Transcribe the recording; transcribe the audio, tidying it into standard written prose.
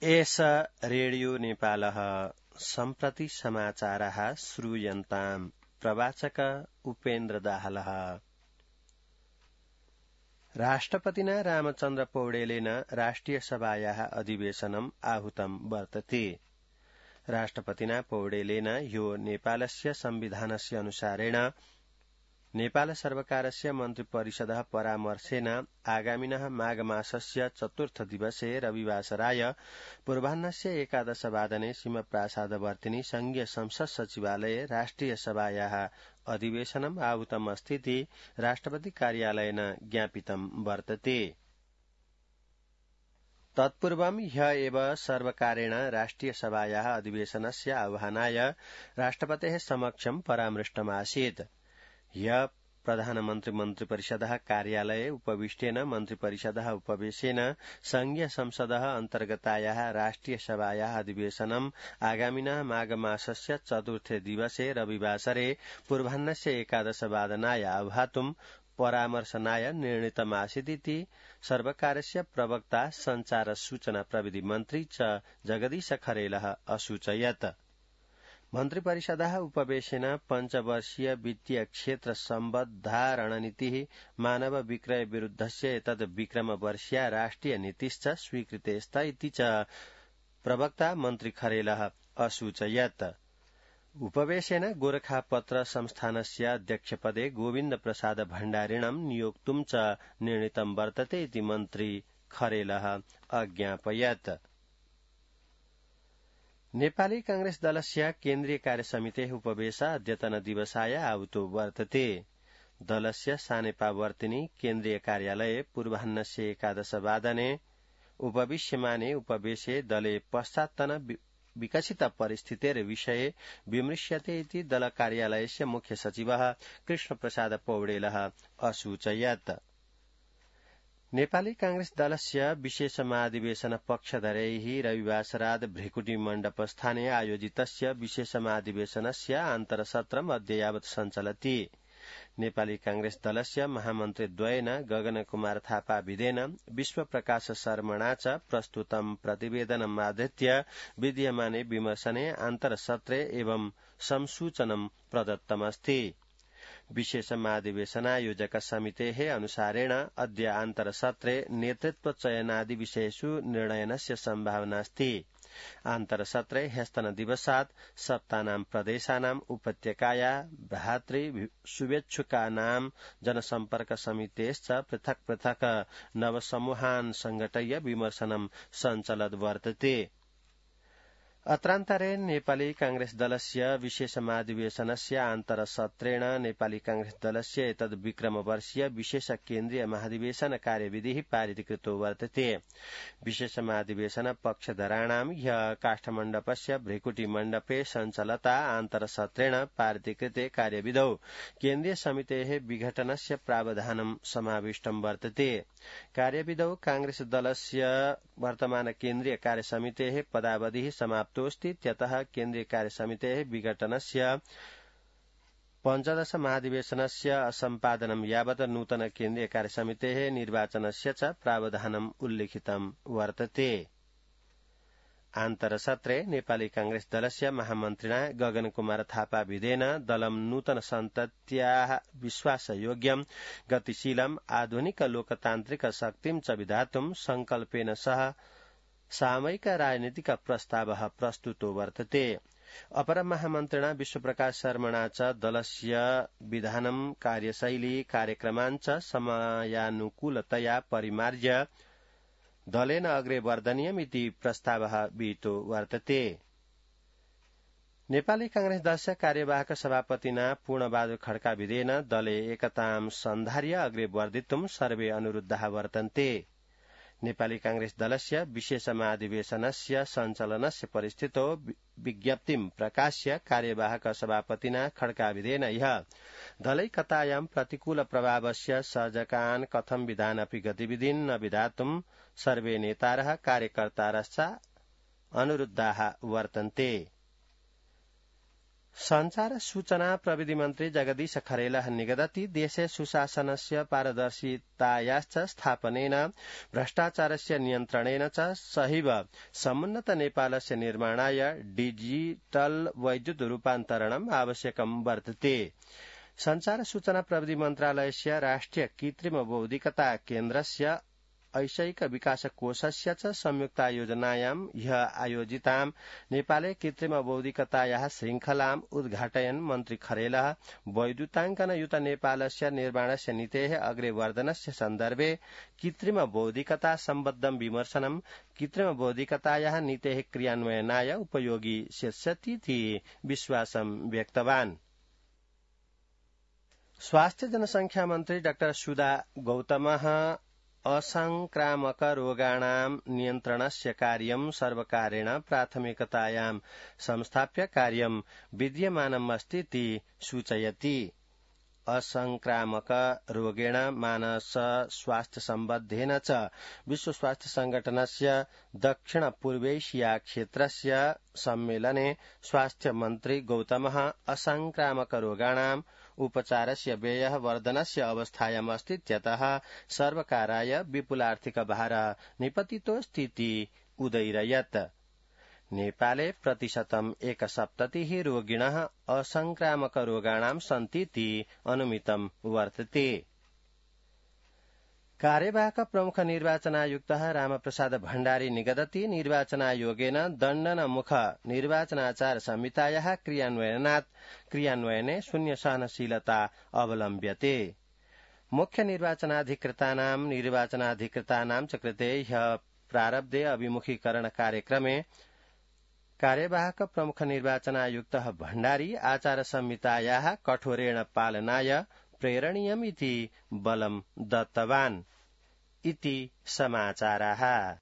एष रेडियो नेपालः सम्प्रति समाचारः श्रूयन्ताम् प्रवाचक उपेन्द्र दाहालः। राष्ट्रपतिना रामचन्द्र पौडेलेन राष्ट्रिय सभायाः अधिवेशनम् आहूतं वर्तते। राष्ट्रपतिना पौडेलेन ह्यो नेपालस्य संविधानस्य अनुसारेण नेपाल सर्वकारस्य मन्त्रिपरिषदः परामर्शेन आगामिनः माघमासस्य चतुर्थ दिवसे रविवासराय पूर्वाह्नस्य 11 वादने सिंहप्रासादवर्तिनि संघीय संसद सचिवालये राष्ट्रिय सभायाः अधिवेशनम् आहूतमस्तीति राष्ट्रपति कार्यालयेन ज्ञापितं वर्तते। तत्पूर्वं ह्य एव सर्वकारेण राष्ट्रिय सभायाः अधिवेशनस्य आह्वानाय राष्ट्रपतेः समक्षं परामृष्टमासीत्। ह्य प्रधानमन्त्री मन्त्रिपरिषदः कार्यालये उपविष्टेन मन्त्रिपरिषदः उपवेशेन संघीय संसदः अन्तर्गतायाः राष्ट्रिय सभायाः अधिवेशनम् आगामिनः माघमासस्य चतुर्थे दिवसे रविवासरे पूर्वाह्नस्य 11 वादनाय आह्वातुं परामर्शनाय निर्णीतमासीदिति सर्वकारस्य प्रवक्ता संचार सूचना प्रविधि मन्त्री च जगदीश खरेलः असूचयत्। मन्त्रिपरिषदः उपवेशेन पञ्चवर्षीय वित्तीय क्षेत्र सम्बद्धा रणनीतिः मानव विक्रय विरुद्धस्य एतद् विक्रमवर्षीया राष्ट्रिय नीतिश्च स्वीकृतेस्त इति च प्रवक्ता मन्त्री खरेलः असूचयत्। उपवेशेन गोरखापत्र संस्थानस्य अध्यक्षपदे गोविन्द प्रसाद भण्डारिणं नियोक्तुं च निर्णीतं वर्तते इति मन्त्री खरेलः अज्ञापयत्। नेपाली कांग्रेस दलस्य केन्द्रीय कार्यसमितेः उपवेश अद्यतन दिवसाय आहूतो वर्तते। दलस्य सानेपावर्तिनि केन्द्रीय कार्यालये पूर्वाह्नस्य 11 वादने उपविश्यमाने उपवेशे दले पश्चात्तन विकसित परिस्थितेर्विषये विमृश्यते इति दल कार्यालयस्य मुख्य सचिवः कृष्णप्रसाद पौडेलः असूचयत्। नेपाली कांग्रेस दलस्य विशेष महाधिवेशन पक्षधरैः रविवासरात भृकुटी मण्डपस्थाने आयोजितस्य विशेष महाधिवेशनस्य आन्तरसत्रम् अद्य यावत् सञ्चलति। नेपाली कांग्रेस दलस्य महामन्त्रीद्वयेन गगन कुमार थापा विदेन विश्व प्रकाश शर्मणा च प्रस्तुतं प्रतिवेदनम् आधृत्य विद्यमाने विमर्शने आन्तरसत्रे एवं संसूचनं प्रदत्तमस्ति। विशेष महाधिवेशनायोजक समितेः अनुसारेण अद्य आन्तरसत्रे नेतृत्व चयनादि विषयेषु निर्णयनस्य सम्भावनास्ति। आन्तरसत्रे ह्यस्तनदिवसात् सप्तानां प्रदेशानाम् उपत्यकाया भ्रातृ शुभेच्छुकानां जनसम्पर्क समितेश्च पृथक् पृथक् नवसमूहान् संघटय्य विमर्शनं सञ्चलद् वर्तते। अत्रान्तरे नेपाली कांग्रेस दलस्य विशेष महाधिवेशनस्य आन्तरसत्रेण नेपाली कांग्रेस दलस्य एतद् विक्रमवर्षीय विशेष केन्द्रीय महाधिवेशन कार्यविधिः पारितकृतो वर्तते। विशेष महाधिवेशन पक्षधराणां ह्यः काष्ठमण्डपस्य भृकुटी मण्डपे सञ्चलता आन्तरसत्रेण पारितकृते कार्यविधौ केन्द्रीय समितेः विघटनस्य प्रावधानं समाविष्टं वर्तते। कार्यविधौ कांग्रेस दलस्य वर्तमान केन्द्रीय कार्यसमितेः पदावधिः समाप्तोऽस्ति। त्यतः केन्द्रीय कार्यसमितेः विघटनस्य 15 महाधिवेशनस्य असम्पादनं यावत् नूतन केन्द्रीय कार्यसमितेः निर्वाचनस्य च प्रावधानम् उल्लिखितं वर्तते। आन्तरसत्रे नेपाली कांग्रेस दलस्य महामन्त्रिणा गगन कुमार थापा विदेन दलं नूतन सन्तत्याः विश्वासयोग्यं गतिशीलम् आधुनिक लोकतान्त्रिक शक्तिं च विधातुं संकल्पेन सह सामयिक राजनीतिक प्रस्तावः प्रस्तुतो वर्तते। अपर महामन्त्रिणा विश्वप्रकाश शर्मणा च दलस्य विधानं कार्यशैली कार्यक्रमान् च समयानुकूलतया परिमार्ज्य दलेन अग्रे वर्धनीयमिति प्रस्तावः विहितो वर्तते। नेपाली कांग्रेस दलस्य कार्यवाहक सभापतिना पूर्णबहादुर खड्का विदेन दले एकतां सन्धार्य अग्रे वर्धितुं सर्वे अनुरुद्धाः वर्तन्ते। नेपाली कांग्रेस दलस्य विशेष महाधिवेशनस्य सञ्चालनस्य परिस्थितौ विज्ञप्तिं प्रकाश्य कार्यवाहक सभापतिना खड्का विदेन ह्यः दलैकतायां प्रतिकूल प्रभावस्य सर्जकान् कथं विधानपि गतिविधिन् न विधातुं सर्वे नेतारः कार्यकर्तारश्च अनुरुद्धाः वर्तन्ते। संचार सूचना प्रविधि मन्त्री जगदीश खरेलः निगदति देशे सुशासनस्य पारदर्शितायाश्च स्थापनेन भ्रष्टाचारस्य नियन्त्रणेन च सहैव समुन्नत नेपालस्य निर्माणाय डिजिटल वैद्युत रूपान्तरणम् आवश्यकं वर्तते। संचार सूचना प्रविधि मन्त्रालयस्य राष्ट्रिय कृत्रिम बौद्धिकता केन्द्रस्य ऐशैक विकास कोषस्य च संयुक्तायोजनायां ह्य आयोजितां नेपाले कृत्रिम बौद्धिकतायाः श्रृंखलाम् उद्घाटयन् मन्त्री खरेलः वैद्युताङ्कनयुत नेपालस्य निर्माणस्य नीतेः अग्रे वर्धनस्य सन्दर्भे कृत्रिम बौद्धिकता सम्बद्धं विमर्शनं कृत्रिम बौद्धिकतायाः नीतेः क्रियान्वयनाय उपयोगी स्यादिति विश्वासं व्यक्तवान्। स्वास्थ्य जनसंख्या मन्त्री डाक्टर सुधा गौतमः असंक्रामक रोगाणां नियन्त्रणस्य कार्यं सर्वकारेण प्राथमिकतायां संस्थाप्य कार्यं विद्यमानमस्तीति सूचयति। असंक्रामक रोगेण मानस स्वास्थ्य सम्बद्धेन च विश्व स्वास्थ्य संगठनस्य दक्षिण पूर्वैशिया क्षेत्रस्य सम्मेलने स्वास्थ्य मन्त्री गौतमः असंक्रामक रोगाणां उपचारस्य व्ययः वर्धनस्य अवस्थायाम् अस्तीत्यतः सर्वकाराय विपुलार्थिक भारः निपतितोऽस्तीति उदयिरयत्। नेपाले प्रतिशतम् 1.7 रोगिणः असंक्रामक रोगाणां सन्तीति अनुमितं वर्तते। कार्यवाहक प्रमुख निर्वाचनायुक्तः रामप्रसाद भण्डारी निगदति निर्वाचनायोगेन दण्डनमुख निर्वाचनाचार संहितायाः क्रियान्वयने शून्य सहनशीलता अवलम्ब्यते। मुख्य निर्वाचनाधिकृतानां च कृते ह्यः प्रारब्धे अभिमुखीकरण कार्यक्रमे कार्यवाहक प्रमुख निर्वाचनायुक्तः भण्डारी आचार संहितायाः कठोरेण पालनाय प्रेरणीयमिति बलं दत्तवान् इति समाचाराः।